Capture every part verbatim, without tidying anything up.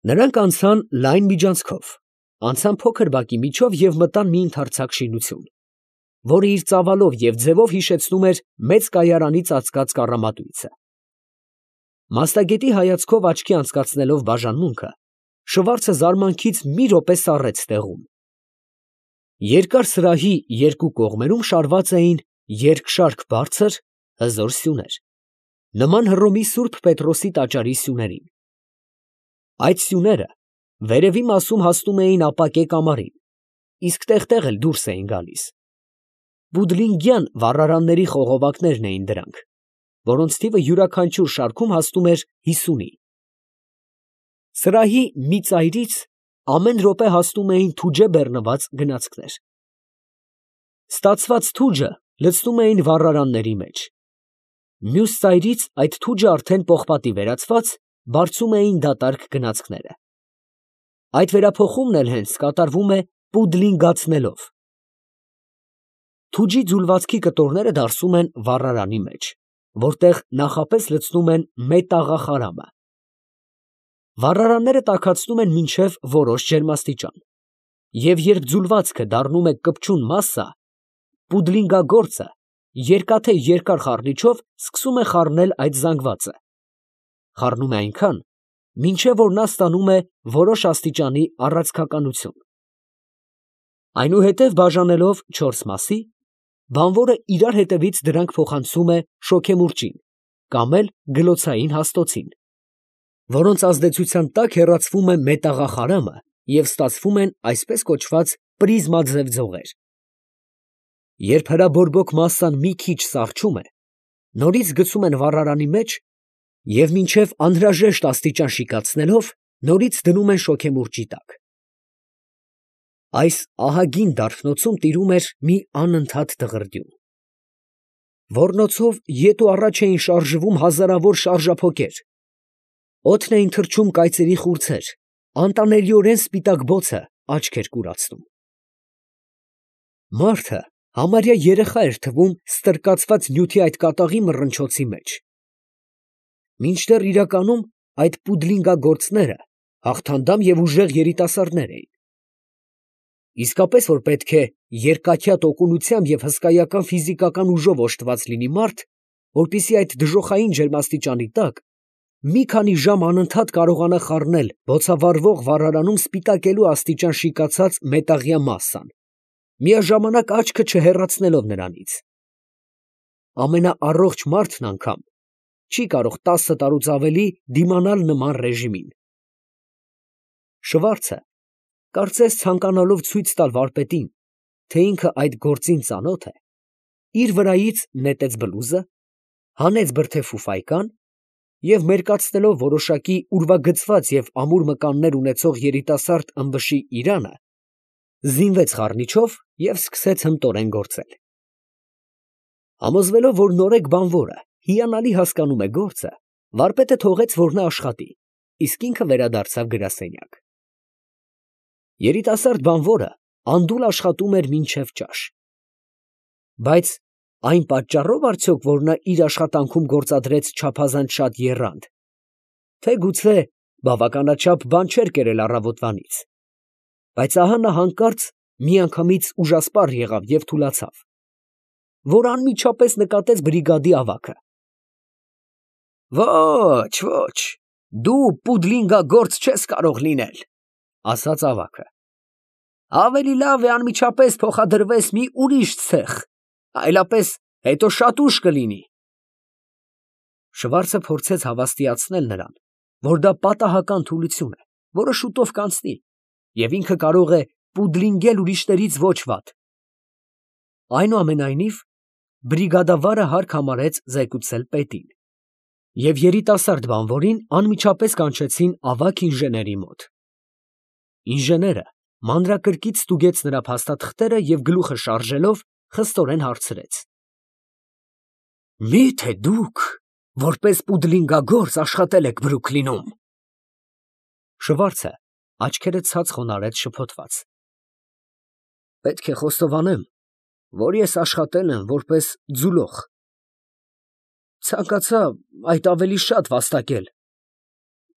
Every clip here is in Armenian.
Նրանք անցան լայն միջանցքով, անցան փոքր բակի միջով և մտան մի ընդարձակ շինություն, որը իր ծավալով և ձևով հիշեցնում էր մեծ կայարանի ծածկած կառամատույցը։ Մասնագետի հայացքով աչքի անցկացնելով բաժանմունքը, Շվարցը զարմանքից մի րոպե սառեց տեղում։ Երկար սրահի երկու կողմերում շարված էին երկշարք բարձր, հզոր սյուներ, նման Հռոմի Սուրբ Պետրոսի տաճարի սյուներին։ Այդ սյուները վերևի մասում հասնում էին ապակե կամարին, իսկ տեղ֊տեղ էլ դուրս էին գալիս։ Բուդլինգյան վառարանների խողովակներն էին դրանք, որոնց թիվը յուրաքանչյուր շարքում հասնում էր հիսունի։ Սրահի մի ծայրից ամեն րոպե հասնում էին թուջե բեռնված գնացքներ։ Ստացված թուջը լցնում էին վառարանների մեջ։ Մյուս ծայրից այդ թուջը արդեն պողպատի վերածված բարձում էին դատարկ գնացքները։ Այդ վերափոխումն էլ հենց կատարվում է պուդլինգացնելով։ Թուջի ձուլվածքի կտորները դարսում են վառարանի մեջ, որտեղ նախապես լցնում են մետաղախարամը։ Վառարանները տաքացնում են մինչև որոշ ջերմաստիճան, և երբ ձուլվածքը դառնում է կպչուն մասսա, պուդլինգագործը երկաթե երկար խառնիչով սկսում է խառնել այդ զանգվածը, խառնում է այնքան, մինչև որ նա ստանում է որոշ աստիճանի առացքականություն։ Այնուհետև բաժանելով չորս մասի, բանվորը իրար հետևից դրանք փոխանցում է շոգեմուրջին կամ էլ գլոցային հաստոցին, որոնց ազդեցության տակ հեռացվում է մետաղախարամը և ստացվում են այսպես կոչված պրիզմաձև ձողեր։ Երբ հրաբորբոք մասսան մի քիչ սառչում է, նորից գցում են վառարանի մեջ և մինչև անհրաժեշտ աստիճան շիկացնելով, նորից դնում են շոգեմուրջի տակ։ Այս ահագին դարբնոցում տիրում էր մի անընդհատ դղրդյուն։ Ոռնոցով ետ ու առաջ էին շարժվում հազարավոր շարժափոկեր, օդն էին թռչում կայծերի խուրձեր, անտանելիորեն սպիտակ բոցը աչք էր կուրացնում։ Մարդը համարյա երեխա էր թվում ստրկացված նյութի այդ կատաղի մռնչոցի մեջ։ Մինչդեռ իրականում այդ պուդլինգագործները հաղթանդամ և ուժեղ երիտասարդներ էին։ Իսկապես որ պետք է երկաթյա տոկունությամբ և հսկայական ֆիզիկական ուժով օժտված լինի մարդ, որպեսզի այդ դժոխային ջերմաստիճանի տակ մի քանի ժամ անընդհատ կարողանա խառնել բոցավառվող վառարանում սպիտակելու աստիճան շիկացած մետաղյա մասսան, միաժամանակ աչքը չհեռացնելով նրանից։ Ամենաառողջ մարդն անգամ չի կարող տասը տարուց ավելի դիմանալ նման ռեժիմին։ Շվարցը, կարծես ցանկանալով ցույց տալ վարպետին, թե ինքը այդ գործին ծանոթ է, իր վրայից նետեց բլուզը, հանեց բրդե ֆուֆայկան և մերկացնելով որոշակի ուրվագծված և ամուր մկաններ ունեցող երիտասարդ ըմբշի իրանը, զինվեց խառնիչով և սկսեց հմտորեն գործել։ Համոզվելով, որ նորեկ բանվորը հիանալի հասկանում է գործը, վարպետը թողեց, որ նա աշխատի, իսկ ինքը վերադարձավ գրասենյակ։ Երիտասարդ բանվորը անդուլ աշխատում էր մինչև ճաշ։ Բայց այն պատճառո՞վ արդյոք, որ նա իր աշխատանքում գործադրեց չափազանց շատ եռանդ, թե գուցե բավականաչափ բան չէր կերել առավոտվանից, բայց ահա նա հանկարծ միանգամից ուժասպառ եղավ և թուլացավ, որ անմիջապես նկատեց բրիգադի ավագը։ «Ոչ, ոչ, դու պուդլինգագործ չես կարող լինել, ֊ ասաց ավագը, ֊ ավելի լավ է անմիջապես փոխադրվես մի ուրիշ ցեխ, այլապես հետո շատ ուշ կլինի»։ Շվարցը փորձեց հավաստիացնել նրան, որ դա պատահական թուլություն է, որը շուտով կանցնի, և ինքը կարող է պուդլինգել ուրիշներից ոչ վատ։ Այնուամենայնիվ, բրիգադավարը հարկ համարեց զեկուցել պետին, և երիտասարդ բանվորին անմիջապես կանչեցին ավագ ինժեների մոտ։ Ինժեները մանրակրկիտ ստուգեց նրա փաստաթղթերը և գլուխը շարժելով խստորեն հարցրեց. «Մի՞թե դուք որպես պուդլինգագործ աշխատել եք Բրուքլինում»։ Շվարցը աչքերը ցած խոնարհեց շփոթված. «Պետք է խոստովանեմ, որ ես աշխատել եմ որպես ձուլող։ Ցանկացա այդ ավելի շատ վաստակել,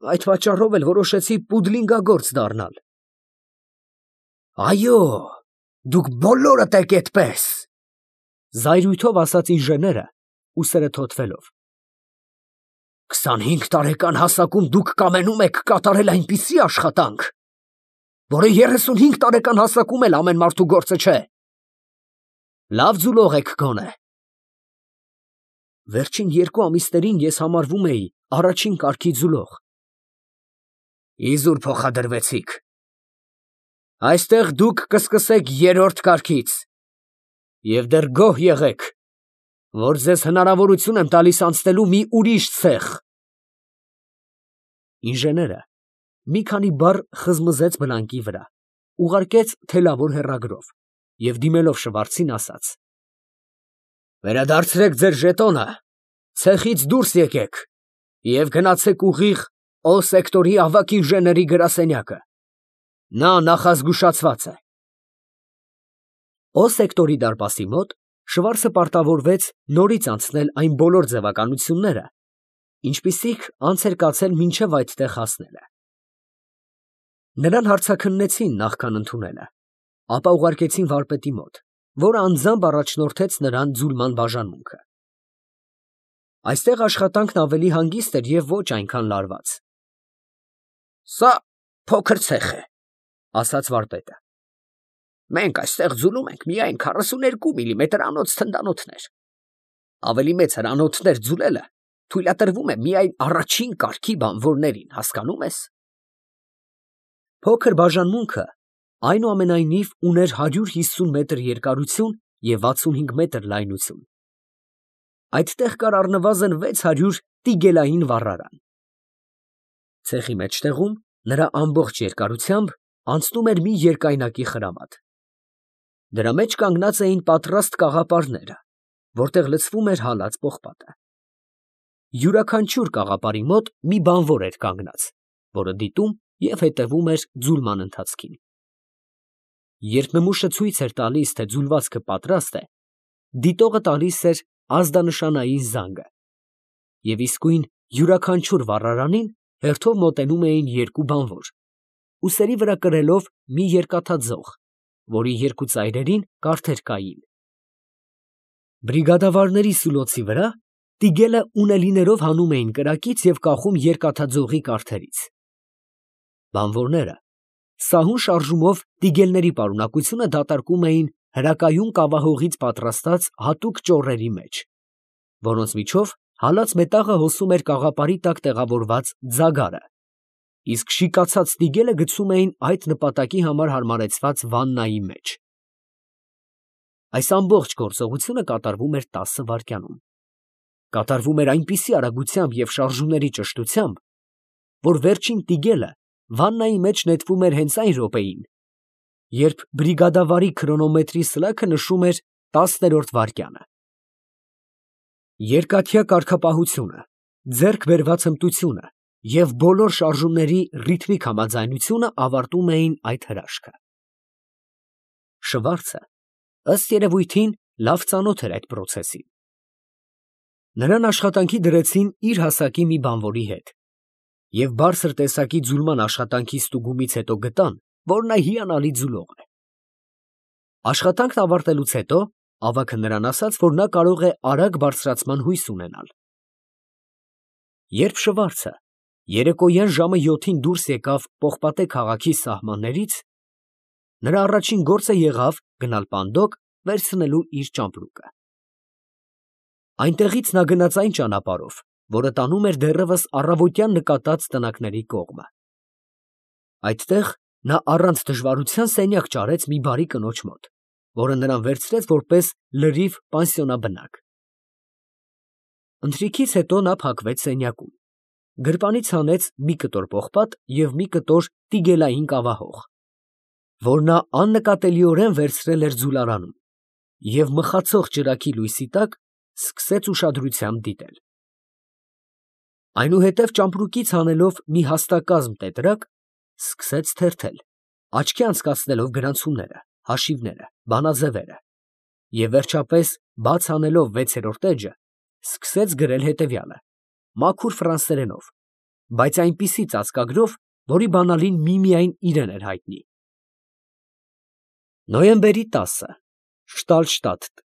Այդ պատճառով էլ որոշեցի պուդլինգագործ դառնալ։ Այո, դուք բոլորդ եք այդպես, զայրույթով ասաց ինժեները, ուսերը թոթվելով։ Քսանհինգ տարեկան հասակում դուք կամենում եք կատարել այնպիսի աշխատանք, որը երեսունհինգ տարեկան հասակում էլ ամեն մարդու գործը չէ։ Լավ ձուլող եք գոնե։ Վերջին երկու ամիսներին ես համարվում էի առաջին կարգի ձուլող։ Իզուր փոխադրվեցիք։ Այստեղ դուք կսկսեք երրորդ կարգից և դեռ գոհ եղեք, որ ձեզ հնարավորություն եմ տալիս անցնելու մի ուրիշ ցեխ։ Ինժեները մի քանի բառ խզմզեց բլանկի վրա, ուղարկեց թելավոր հեռագրով և դիմելով Շվարցին ասաց. Վերադարձրեք ձեր ժետոնը, ցեխից դուրս եկեք և գնացեք ուղիղ Օ սեկտորի ավագ ինժեների գրասենյակը։ Նա նախազգուշացված է։ Օ սեկտորի դարպասի մոտ Շվարցը պարտավորվեց նորից անցնել այն բոլոր ձևականությունները, ինչպիսիք անց էր կացել մինչև այդտեղ հասնելը։ Նրան հարցաքննեցին նախքան ընդունելը, ապա ուղարկեցին վարպետի մոտ, որը անձամբ առաջնորդեց նրան ձուլման բաժանմունքը։ Այստեղ աշխատանքն ավելի հանգիստ էր և ոչ այնքան լարված։ Սա փոքր ցեխ է, ասաց վարպետը։ Մենք այստեղ ձուլում ենք միայն քառասունութ միլիմետր անոց թնդանոթներ։ Ավելի մեծ հրանոթներ ձուլելը թույլատրվում է միայն առաջին կարգի բանվորներին, հասկանում ես։ Փոքր բաժանմունքը այնուամենայնիվ ուներ հարյուր հիսուն մետր երկարություն և վաթսունհինգ մետր լայնություն։ Այդտեղ կար առնվազն վեց հարյուր տիգելային վառարան։ Ցեխի մեջտեղում, նրա ամբողջ երկարությամբ, անցնում էր մի երկայնակի խրամատ։ Դրա մեջ կանգնած էին պատրաստ կաղապարները, որտեղ լցվում էր հալած պողպատը։ Յուրաքանչյուր կաղապարի մոտ մի բանվոր էր կանգնած, որը դիտում և հետևում էր ձուլման ընթացքին։ Երբ նմուշը ցույց էր տալիս, թե ձուլվածքը պատրաստ է, դիտողը տալիս էր ազդանշանային զանգը, և իսկույն յուրաքանչյուր վառարանին հերթով մոտենում էին երկու բանվոր, ուսերի վրա կրելով մի երկաթաձող, որի երկու ծայրերին կարթեր կային։ Բրիգադավարների սուլոցի վրա տիգելը ունելիներով հանում էին կրակից և կախում երկաթաձողի կարթերից։ Բանվորները սահուն շարժումով տիգելների պարունակությունը դատարկում էին հրակայուն կավահողից պատրաստած հատուկ ճոռերի մեջ, որոնց միջով հալած մետաղը հոսում էր կաղապարի տակ տեղավորված ձագարը, իսկ շիկացած տիգելը գցում էին այդ նպատակի համար հարմարեցված վաննայի մեջ։ Այս ամբողջ գործողությունը կատարվում էր տասը վայրկյանում։ Կատարվում էր այնպիսի արագությամբ և շարժումների ճշտությամբ, որ վերջին տիգելը վաննայի մեջ նետվում էր հենց այն րոպեին, երբ բրիգադավարի քրոնոմետրի սլաքը նշում էր տասներորդ վայրկյանը։ Երկաթյա կարգապահությունը, ձեռք բերված հմտությունը և բոլոր շարժումների ռիթմիկ համաձայնությունը ավարտում էին այդ հրաշքը։ Շվարցը, ըստ երևույթին, լավ ծանոթ էր այդ պրոցեսին։ Նրան աշխատանքի դրեցին իր հասակի մի բանվորի հետ, և բարձր տեսակի ձուլման աշխատանքի ստուգումից հետո գտան, որ նա հիանալի ձուլող է։ Աշխատանքն ավարտելուց հետո ավագը նրան ասաց, որ նա կարող է արագ բարձրացման հույս ունենալ։ Երբ Շվարցը երեկոյան ժամը յոթին դուրս եկավ Պողպատե քաղաքի սահմաններից, նրա առաջին գործը եղավ գնալ Պանդոկ վերցնելու իր ճամպրուկը։ Այնտեղից նա գնաց այն ճանապարհով, որը տանում էր դեռևս առավոտյան նկատած տնակների կողմը։ Այդտեղ նա առանց դժվարության սենյակ ճարեց մի բարի կնոջ մոտ, որը նրան վերցրեց որպես լրիվ պանսիոնաբնակ։ Ընթրիքից հետո նա փակվեց սենյակում, գրպանից հանեց մի կտոր պողպատ և մի կտոր տիգելային կավահող, որ նա աննկատելիորեն վերցրել էր ձուլարանում, և մխացող ճրագի լույսի տակ սկսեց ուշադրությամբ դիտել։ Այնուհետև ճամպրուկից հանելով մի հաստակազմ տետրակ, սկսեց թերթել, աչքի անցկացնելով գրանցումները, հաշիվները, բանաձևերը, և վերջապես, բաց անելով վեցերորդ էջը, սկսեց գրել հետևյալը՝ մաքուր ֆրանսերենով, բայց այնպիսի ծածկագրով, որի բանալին միմիայն իրեն էր հայտնի։ Նոյեմբերի տասը Շտալշտադտ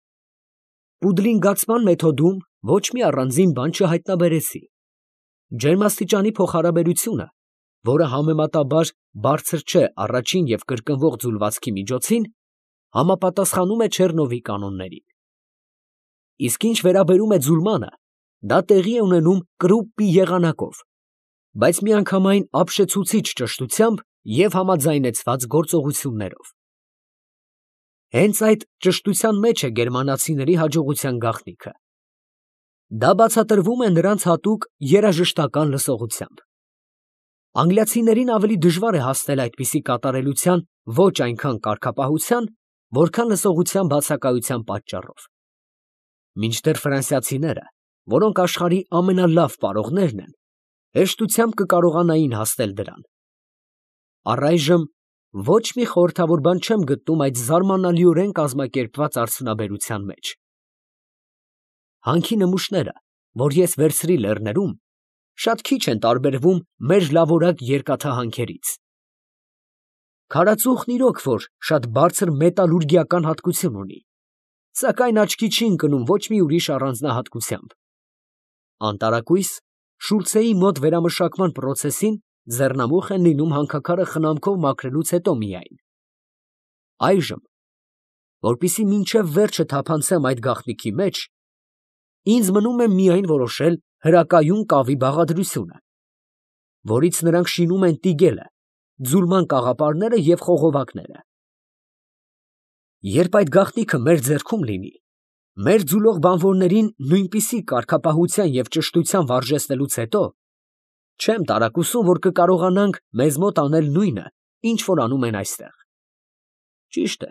Պուդլինգացման մեթոդում ոչ մի առանձին բան չհայտնաբերեցի։ Ջերմաստիճանի փոխհարաբերությունը, որը համեմատաբար բարձր չէ առաջին և կրկնվող ձուլվածքի միջոցին, համապատասխանում է Չեռնովի կանոններին։ Իսկ ինչ վերաբերում է ձուլմանը, դա տեղի է ունենում Կրուպպի եղանակով, բայց միանգամայն ապշեցուցիչ ճշտությամբ և համաձայնեցված գործողություններով։ Հենց այդ ճշտության մեջ է գերմանացիների հաջողության գաղտնիքը։ Դա բացատրվում է նրանց հատուկ երաժշտական լսողությամբ։ Անգլիացիներին ավելի դժվար է հասնել այդպիսի կատարելության ոչ այնքան կարգապահության, որքան լսողության բացակայության պատճառով։ Մինչդեռ ֆրանսիացիները, որոնք աշխարհի ամենալավ պարողներն են, հեշտությամբ կկարողանային հասնել դրան։ Առայժմ ոչ մի խորհրդավոր բան չեմ գտնում այդ զարմանալիորեն կազմակերպված արդյունաբերության մեջ։ Հանքի նմուշները, որ ես վերցրի լեռներում, շատ քիչ են տարբերվում մեր լավորակ երկաթահանքերից։ Քարածուխն իրոք որ շատ բարձր մետալուրգիական հատկություն ունի, սակայն աչքի չի ընկնում ոչ մի ուրիշ առանձնահատկությամբ։ Անտարակույս Շուլցեի մոտ վերամշակման պրոցեսին ձեռնամուխ են լինում հանքաքարը խնամքով մաքրելուց հետո միայն։ Այժմ, որպեսզի մինչև վերջը թափանցեմ այդ գաղտնիքի մեջ, ինձ մնում է միայն որոշել հրակայուն կավի բաղադրությունը, որից նրանք շինում են տիգելը, ձուլման կաղապարները և խողովակները։ Երբ այդ գաղտնիքը մեր ձեռքում լինի, մեր ձուլող բանվորներին նույնպիսի կարգապահության և ճշտության վարժեցնելուց հետո, չեմ տարակուսում, որ կկարողանանք մեզ մոտ անել նույնը, ինչ որ անում են այստեղ։ Ճիշտ է,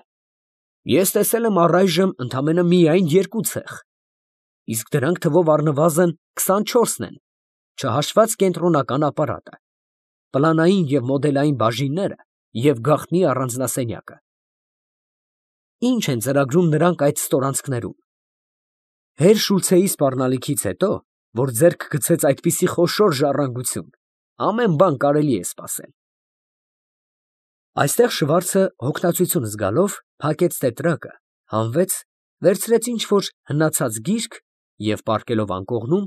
ես տեսել եմ առայժմ ընդամենը միայն երկու ցեխ, իսկ դրանք թվով առնվազն քսանչորսն են, չհաշված կենտրոնական ապարատը, պլանային և մոդելային բաժինները և գաղտնի առանձնասենյակը։ Ինչ են ծրագրում նրանք այդ ստորանցքներում։ Հեր Շուլցեի սպառնալիքից հետո, որ ձեռք գցեց այդպիսի խոշոր ժառանգություն, ամեն բան կարելի է սպասել։ Այստեղ Շվարցը հոգնածություն զգալով փակեց տետրակը, հանվեց, վերցրեց ինչ֊որ հնացած գիրք և պառկելով անկողնում,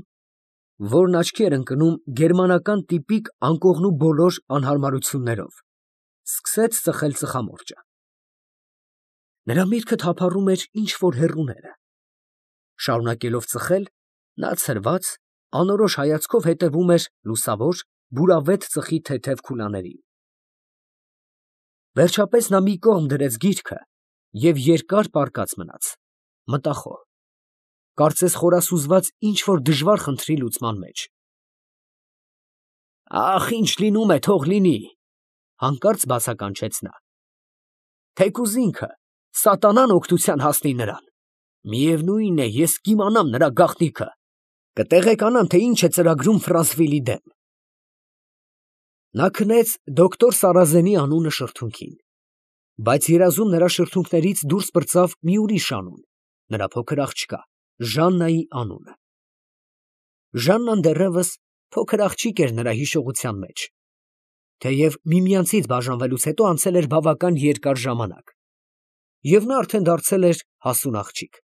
որն աչքի էր ընկնում գերմանական տիպիկ անկողնու բոլոր անհարմարություններով, սկսեց ծխել ծխամորճը։ Նրա միտքը թափառում էր ինչ֊որ հեռուները։ Շարունակելով ծխել, նա ցրված, անորոշ հայացքով հետևում էր լուսավոր, բուրավետ ծխի թեթև քուլաներին։ Վերջապես նա մի կողմ դրեց գիրքը և երկար պառկած մնաց, մտախոհ, կարծես խորասուզված ինչ֊որ դժվար խնդրի լուծման մեջ։ «Ախ, ինչ լինում է, թող լինի», ֊ հանկարծ բացականչեց նա։ «Թեկուզ ինքը, սատանան օգնության հասնի նրան, միևնույն է, ես կիմանամ նրա գաղտնիքը, կտեղեկանամ, թե ինչ է ծրագրում Ֆրանսվիլի դեմ»։ Նա քնեց դոկտոր Սարազենի անունը շրթունքին, բայց երազում նրա շրթունքներից դուրս պրծավ մի ուրիշ անուն, նրա փոքր աղջկա Ժաննայի անունը։ Ժաննան դեռևս փոքր աղջիկ էր նրա հիշողության մեջ, թեև միմյանցից բաժանվելուց հետո անցել էր բավական երկար ժամանակ, և նա արդեն դարձել էր հասուն աղջիկ։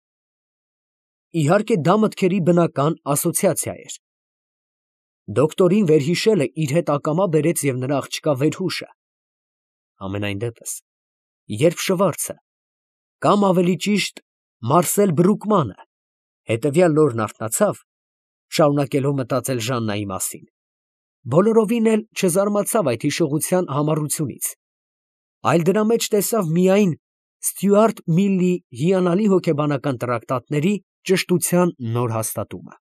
Իհարկե, դա մտքերի բնական ասոցիացիա էր։ Դոկտորին վերհիշելը իր հետ ակամա բերեց և նրա աղջկա վերհուշը։ Համենայն դեպս, երբ Շվարցը, կամ ավելի ճիշտ Մարսել Բրուկմանը, հետևյալ օրն արթնացավ, շարունակելով մտածել Ժաննայի մասին, բոլորովին էլ չզարմացավ այդ հիշողության համառությունից, այլ դրա մեջ տեսավ միայն Ստյուարտ Միլլի հիանալի հոգեբանական տրակտատների ճշտության նոր հաստատումը։